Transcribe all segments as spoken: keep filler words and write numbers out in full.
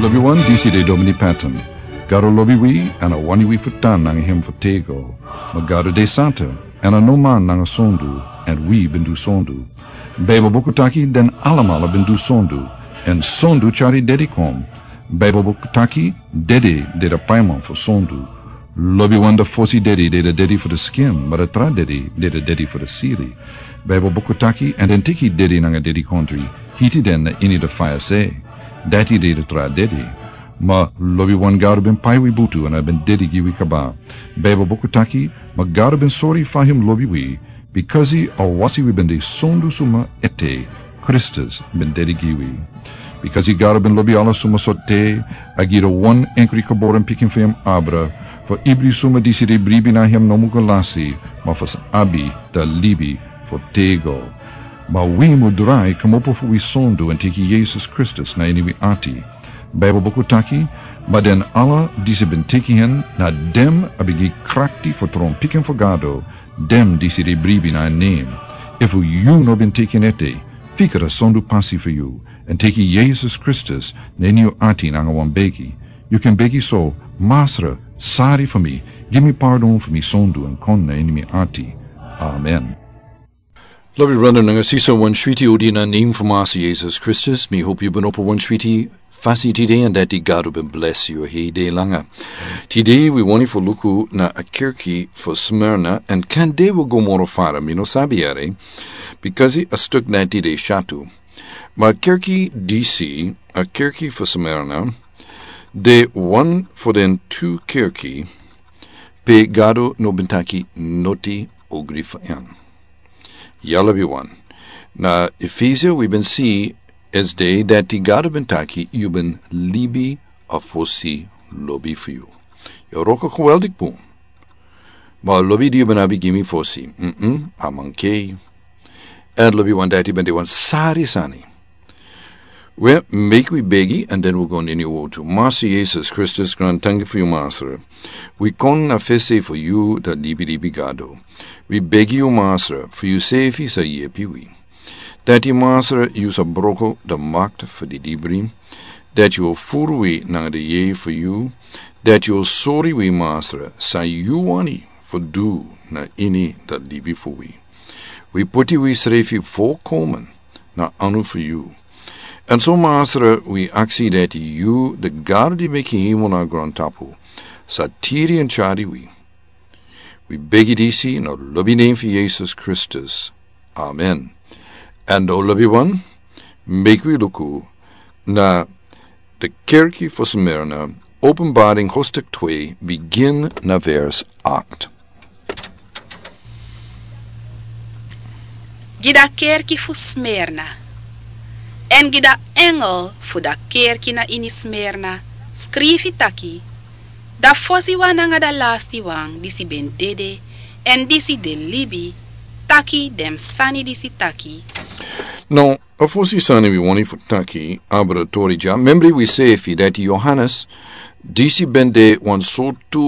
Lobi wan, disi de Domini Patton. Gado lobi wi, èn a wani wi fu tan nanga hem fu tego. Ma Gado de santa, èn a no man nanga sondu, èn wi ben du sondu. Baibel buku taki den alamala ben du sondu, èn sondu tyari dedi kon. Baibel buku taki dedi de de paiman fu sondu. Lobi wan, da fosi dedi de de dedi fu de skin, ma da tra dedi de de dedi fu de siri. Baibel buku taki, èn den teki dedi nanga dedi kontri, hiti den na ini de faya se. Dati de de tra dedi. Ma lobi wan, Gado ben pai wi butu èn a ben dedi gi wi kaba. Baibel buku taki, ma Gado ben sori fa hem lobi wi, bikasi a wasi wi ben de sondu suma ete, Kristus ben dedi gi wi. Bikasi Gado ben lobi ala suma sortu, a gi de wan enkri geboren pikin fu hem abra, fu ibri suma disi de bribi na hem no mu go lasi, ma fu sa abi da libi fu tego. Ma wi mu drai komopo fu wi sondu èn teki Yesus Kristus na ini wi ati. Baibel buku taki, ma den ala disi ben teki hen, na den a ben gi krakti fu tron pikin fu Gado, den disi de bribi na en nen. Efu yu no ben teki en ete, fika da sondu pasi fu yu, èn teki Yesus Kristus na ini yu ati nanga wan begi. Yu kan begi so: Masra, sari fu mi, gi mi pardon fu mi sondu èn kon na ini mi ati. Amen. Lobi brada nanga sisa, wan switi odi na nen fu Masra Yesus Kristus. Mi hopi yu ben opo wan switi fasi tide, èn dati Gado ben blesi yu hei de langa. Tide wi wani fu luku na a kerki fu Smyrna, èn kande wi go moro fara, mi no sabi yere, bikasi a stuk na tide shatu. Ma kerki disi, a kerki fu Smyrna, de wan fu den tu kerki pe Gado no ben taki noti ogri fu en. Ya lobi wan. Na Efesia wi ben si esde dati Gado ben taki yu ben libi a fosi lobi fu yu. Yu wroko geweldig bun. Ma lobi di yu ben abi gi mi fosi, mm, a mankei. Èn lobi wan, dati ben de wan sari sani. We, meki wi begi, èn den wi go na ini wortu. Masra Yesus Kristus, grantangi fu yu, Masra. Wi kon na fesi fu yu, da libilibi Gado. Wi begi yu, Masra, fu yu sefi sa yepi wi. Dati, Masra, yu sa broko da makti fu di dibri. Dati yu o furu wi nanga di yeye fu yu. Dati yu o sori wi, Masra, san yu wani fu du na ini da libi fu wi. Wi poti wisrefi volkomen na anu fu yu. Èn so, Masra, wi aksi dati yu, di Gado di meki hemel nanga grontapu, sa tiri èn tyari wi. Wi begi disi na lobi nen fu Yesus Kristus. Amen. Èn lobi wan, meki wi luku na di kerki fu Smyrna, Openbaring hoofdstuk twee, begin na vers acht. Gi da kerki fu Smyrna. Èn gi da engel fu da kerki na ini Smyrna skrifi taki: Da fosi wan nanga da lasti wan disi ben dede, èn disi de libi, taki den sani disi taki. No, a fosi sani wi wani fu taki abra tori dya. Membri wi sefi dati Yohanes, disi ben de wan sortu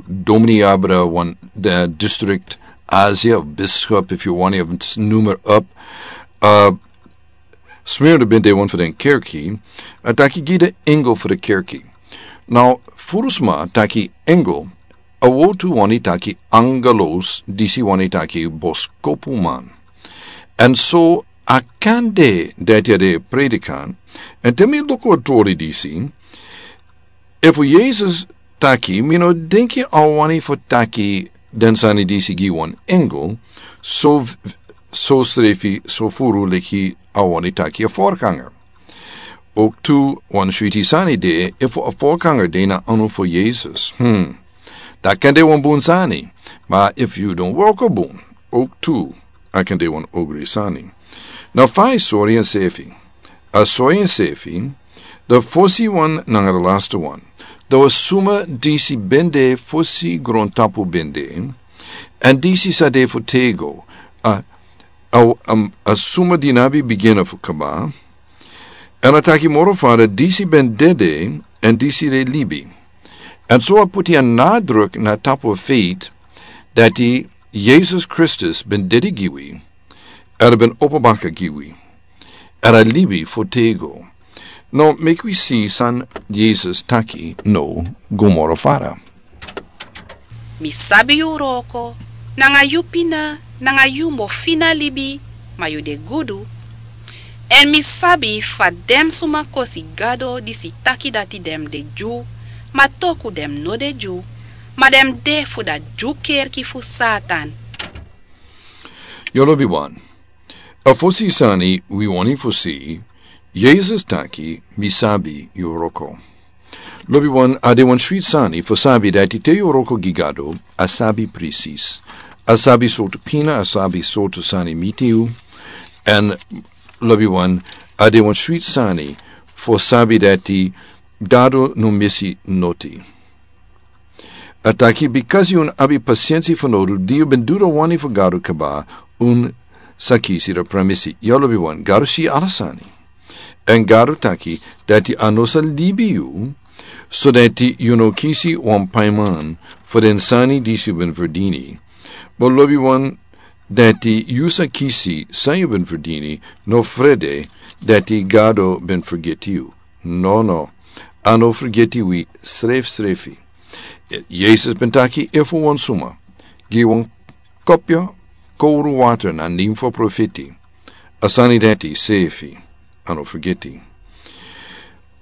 domini, abra wan, da district, Asia, of bishop, if you want to numer up. Uh, Smyrna ben de wan fu den kerki, a taki gi da engel fu da kerki. Now, furu sma taki engel, a wortu wani taki angelos, disi wani taki boskopuman. Èn so a kande dati a de predikant, èn te mi luku a tori disi, efu Yesus taki, mi no denki a wani fu taki den sani disi gi wan engel, so, so srefi, so furu leki a wani taki a vorganger. Ook tu wan switi sani de, efu a vorganger de na anu fu Yesus. Hmm. Da kande wan bun sani, ma efu yu don wroko bun, ook tu a kande wan ogri sani. Na fa a sori ensefi. A sori ensefi, da fosi wan nanga da lasti wan. Da wan suma disi ben de fosi grontapu ben de, èn disi sa de fu tego, a, a, a, a suma di no abi bigin fu kaba, èn a taki moro fara disi ben dede, èn disi de libi. Èn so a poti a nadruk na tapu a feit, dati Yesus Kristus ben dede gi wi, èn a ben opo baka gi wi, èn a libi fu tego. No, meki wi si san Yesus taki no go moro fara. Mi sabi yu wroko nanga yu pina nanga yu mo fina libi, ma yu de gudu. Èn mi sabi fa den suma kosi Gado disi taki dati den de Dyu, ma toku den no de Dyu, ma den de fu da Dyu kerki fu Satan. Yu lobi wan. A fosi sani wi wani fosi, Yesus taki mi sabi yu wroko. Lobi wan, a de wan switi sani fu sabi dati te yu wroko gi Gado, a sabi presis. A sabi sortu pina, a sabi sortu sani miti yu. Èn lobi wan, a de wan switi sani fu sabi dati Gado no misi noti. A taki, bikasi un abi pasensi fu nodu, di yu ben du da wani fu Gado kaba, un sa kisi da pramisi. Yu lobi wan, Gado si ala sani. Èn Gado taki dati a no sa libi yu, so dati yu no kisi wan paiman fu den sani disi yu ben ferdini. But lobi wan, dati yu sa kisi san yu ben ferdini, no frede dati Gado ben fergeti yu. No, no. A no fergeti wi srefsrefi. Yesus ben taki, efu wan suma gi wan kopya kowru water na nen fu a profeti, a sani dati sefi, a no fergeti.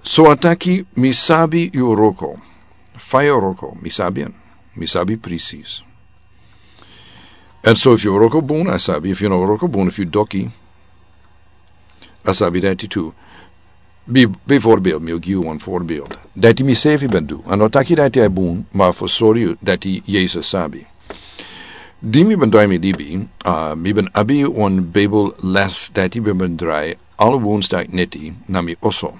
So a taki, mi sabi yu wroko. Fa yu wroko, mi sabi en. Mi sabi presis. Èn so efu yu wroko bun, a sabi, efu yu no wroko bun, efu yu doki, a sabi dati tu. Bi, bijvoorbeeld, mi o gi yu wan voorbeeld. Dati mi sefi ben du. A no taki dati a bun, ma fu sori yu dati Yesus sabi. Di mi ben drai mi libi, a, mi ben abi wan Bijbel les dati mi ben drai ala woensdag neti na mi oso.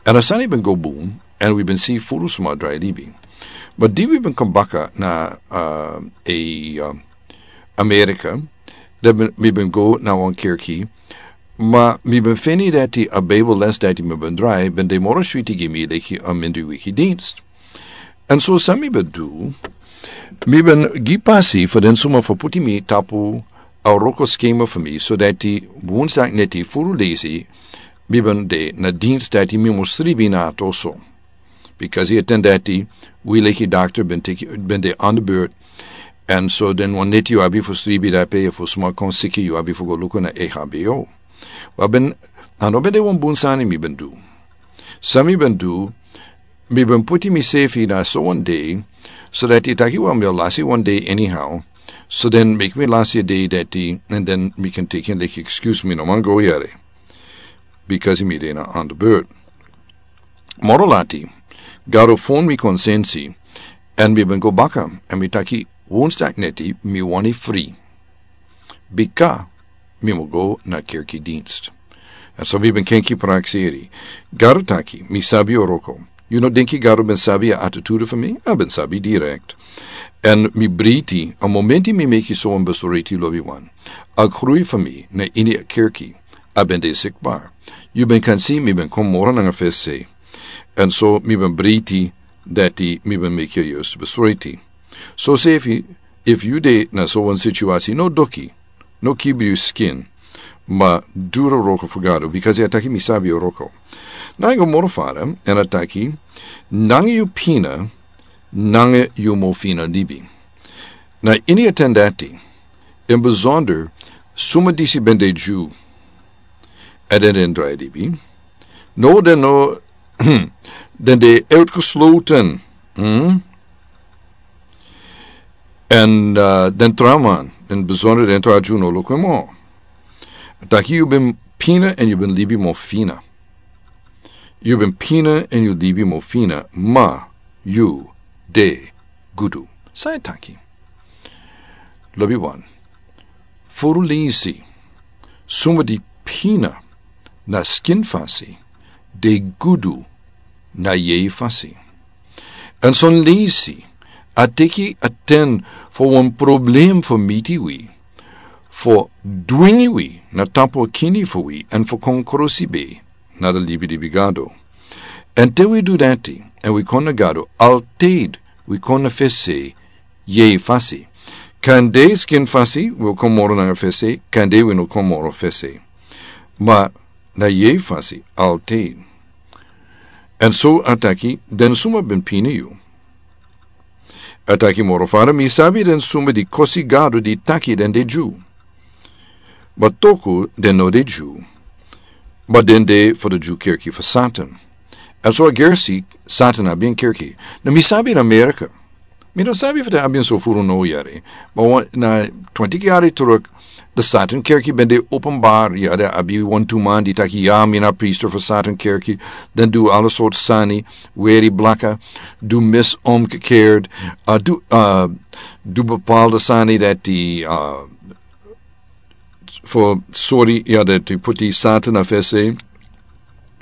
Èn a sani ben go bun, èn wi ben si furu suma drai libi. Ma di wi ben kon baka na, a, e, a, Amerika, dan ben, mi ben go na wan kerki, ma mi ben feni dati a Bijbel les dati mi ben drai, ben de moro switi gi mi leki a mindri wiki dienst. Èn so san mi ben du, mi ben gi pasi fu den suma fu puti mi tapu a wroko skema fu mi, so dati woensdag neti furu leisi, mi ben de na dienst dati mi mus sribi na a toso. Bikasi a ten dati, wi leki dokter ben teki, ben de aan de beurt. Èn so den wan neti yu abi fu sribi dape, fu suma kon siki yu abi fu go luku na E H B O. Wan ben, a no ben de wan bun sani mi ben du. San mi ben du, mi ben puti misefi na so wan dei, so dati taki wan mi o lasi wan dei anyhow. So den meki mi lasi a dei dati, èn den mi kan teki en leki excuse mi no man go yere. Bikasi mi de na aan de beurt. Moro lati, Gado fon mi konsensi, èn mi ben go baka, èn mi taki, woensdag neti mi wani fri. Bika mi mu go na kerki dienst. Èn so mi ben kenki prakseri. Gado taki, mi sabi yu wroko. Yu no denki Gado ben sabi a attitude fu mi? A ben sabi direkt. Èn mi breiti, a momenti mi meki so wan besluit, lobi wan. A grui fu mi na ini a kerki a ben de sikbar. Yu ben kan si mi ben kon moro nanga fesi. Èn so mi ben breiti dati mi ben meki a juiste besluit. So sefi, efu yu de na so wan situasi, no doki, no kibri yu skin, ma du a wroko fu Gado, bikasi a taki mi sabi yu wroko. Nanga moro fara, èn a taki, nanga yu pina, nanga yu mu fina libi. Na ini a ten dati, in besonder, suma disi ben de Dyu, èn den den drai libi. No, den no, den de uitgesloten. Hm? Èn, eh, den trawan, in besonder den tra Dyu no luku en moro. Taki yu ben pina èn yu ben libi mu fina. Yu ben pina èn yu libi mu fina, ma yu de gudu. San a taki? Lobi wan. Furu leisi, suma di pina na skin fasi, de gudu na yeye fasi. Èn son leisi, a teki a ten fu wan problem fu miti wi, fu dwingi wi na tapu a kini fu wi, èn fu kon krusi be na a libi di wi Gado. Èn te wi du dati, èn wi kon na Gado, altijd wi kon na fesi, yeye fasi. Kande skin fasi, wi o kon moro nanga fesi, kande wi no kon moro fesi. Ma na yeye fasi, altijd. Èn so a taki, den suma ben pini yu. A taki moro fara, mi sabi den suma di kosi Gado di taki den de Dyu. But toku den no de Dyu, but den de fu di Dyu kerki fu Satan. Èn so a gersi Satan abi en kerki. Na mi sabi na Amerika. Mi no sabi fu den abi en so furu no yari. But wan, na twintig yari teruk, di Satan kerki ben de openbaar, ya, den abi wantu man di taki ya, mi na priester fu Satan kerki. Den du ala sort sani, weri blaka, du mis omgekeerd, uh, du, uh, du bepaalde sani dati, uh, fu sori, ya, dati puti Satan na fesi.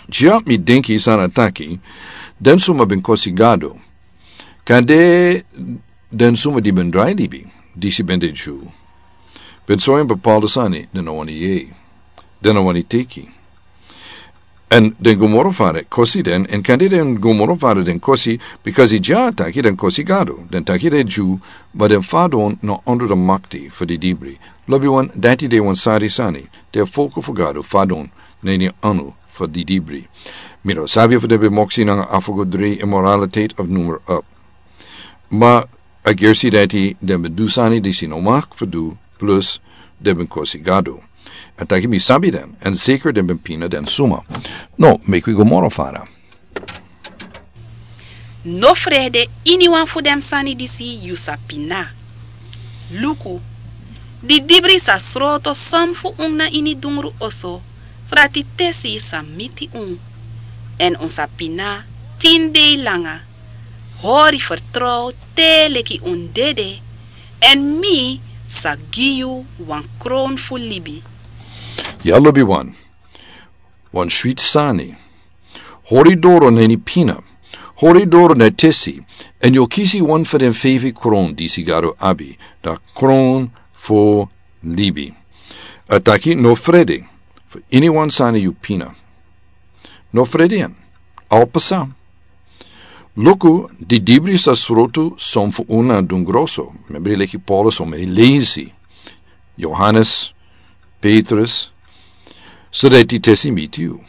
Dya mi denki san a taki, den suma ben kosi Gado. Kande den suma di ben drai libi, disi ben de Dyu. Ben so en bepaalde sani, den no wani yei. Den no wani teki. Èn den go moro fara kosi den, èn kande den go moro fara den kosi, bikasi dya a taki den kosi Gado, den taki den Dyu, ma den fadon na ondro di makti fu di dibri. Lobiwan, dati de wan sari sani, den folku fu Gado fadon na ini anu fu di dibri. Mi no sabi fu den ben moksi nanga afo go dri, immoraliteit of noem maar op. Ma a gersi dati den ben du sani disi no mag fu du, plus den ben kosi Gado. A taki mi sabi den, èn zeker den ben pina den suma. No, meki wi go moro fara. No frede iniwan fu den sani disi yu sa pina. Luku, di dibri sa sroto son fu un na ini dungru oso, srati tesi sa miti un. Èn un sa pina tin dei langa. Hori fertrow te leki un dede, èn mi sa gi yu wan kron fu libi. Ya lobiwan, wan switi sani. Hori doro na ini pina. Hori doro na tesi, èn yu o kisi wan fu den feifi kron disi Gado abi, a kron fu libi. A taki no frede fu iniwan sani yu pina. No frede en. A o pasa. Luku, di dibri sa sroto son fu un na dungru oso. Membri leki Paulus, so meni leisi. Johannes, Petrus, so dati tesi miti yu.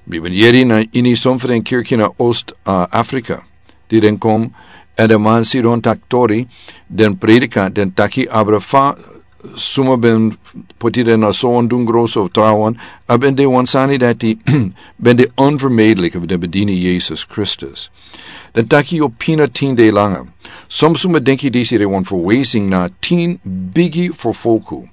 Mi ben yeri na ini son fu den kerki na Oost, uh, Afrika. Di den kon, èn den man sidon taki tori, den predika, den taki abra fa suma ben poti den na so wan dungru oso fu trawan, a ben de wan sani dati ben de onvermijdelijk fu den ben dini Yesus Kristus. Den taki yu o pina tin dei langa. Son suma denki disi de wan verwijzing na tin bigi vervolgu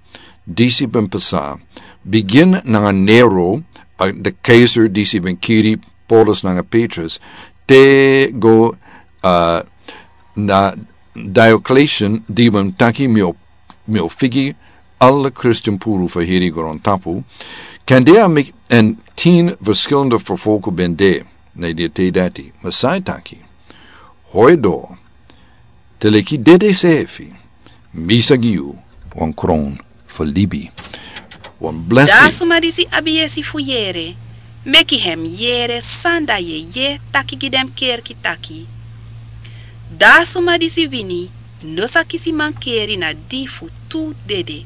disi ben pasa. Bigin nanga Nero, a, di keizer disi ben kiri Paulus nanga Petrus, te go, a, na Diocletian di ben taki mi o, mi o figi ala Kristin puru fu heri grontapu. Kande a meki èn tin verschillende vervolgu ben de, na di te dati, ma san a taki. Hori doro, te leki dede sefi, mi sa gi yu wan kron fu libi. Wan blessing. Di a suma disi abi yesi fu yere, meki hem yere san a yeye taki gi den kerki taki. Di a suma disi wini, no sa kisi mankeri na di fu tu dede.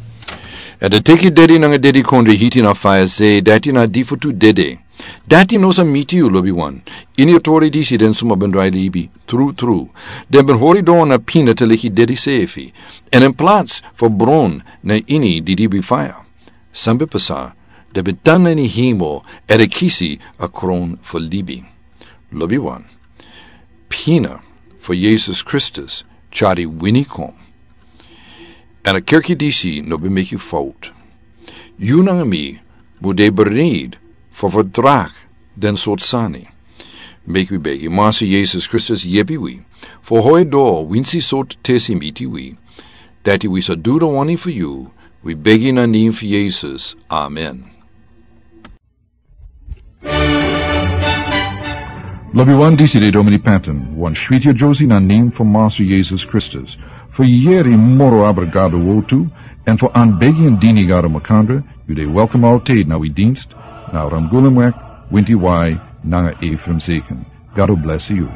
Èn den teki dedi nanga dedikondre hiti na faya, se dati na di fu tu dede. Dati no sa miti yu lobiwan. Ini a tori disi den suma ben drai libi, trutru, den ben hori doro na pina te leki dede sefi. Èn in plaats fu bron na ini di libi faya. San ben pasa, den ben tan na ini hemel, èn den kisi a kron fu libi. Lobiwan. Pina fu Yesus Kristus tyari wini kon. Èn a kerki disi no ben meki fout. Yu nanga mi mu de bereid fu verdraag den sort sani. Meki wi begi Massa Yesus Kristus yepi wi fu hori doro winsi sort tesi miti wi, dati wi sa du den wani fu yu, wi begi na nen fu Yesus. Amen. Lobiwan, disi de Domini Patton, wan switi a Josie na nen fu Massa Yesus Kristus. Fu yeri moro abra Gado wortu, èn fu anbegi èn dini Gado makandra, yu de welkom altijd na wi dienst, na Ramgulemweg, Winti Wai, nanga Ephraim Zeken. Gado bless yu.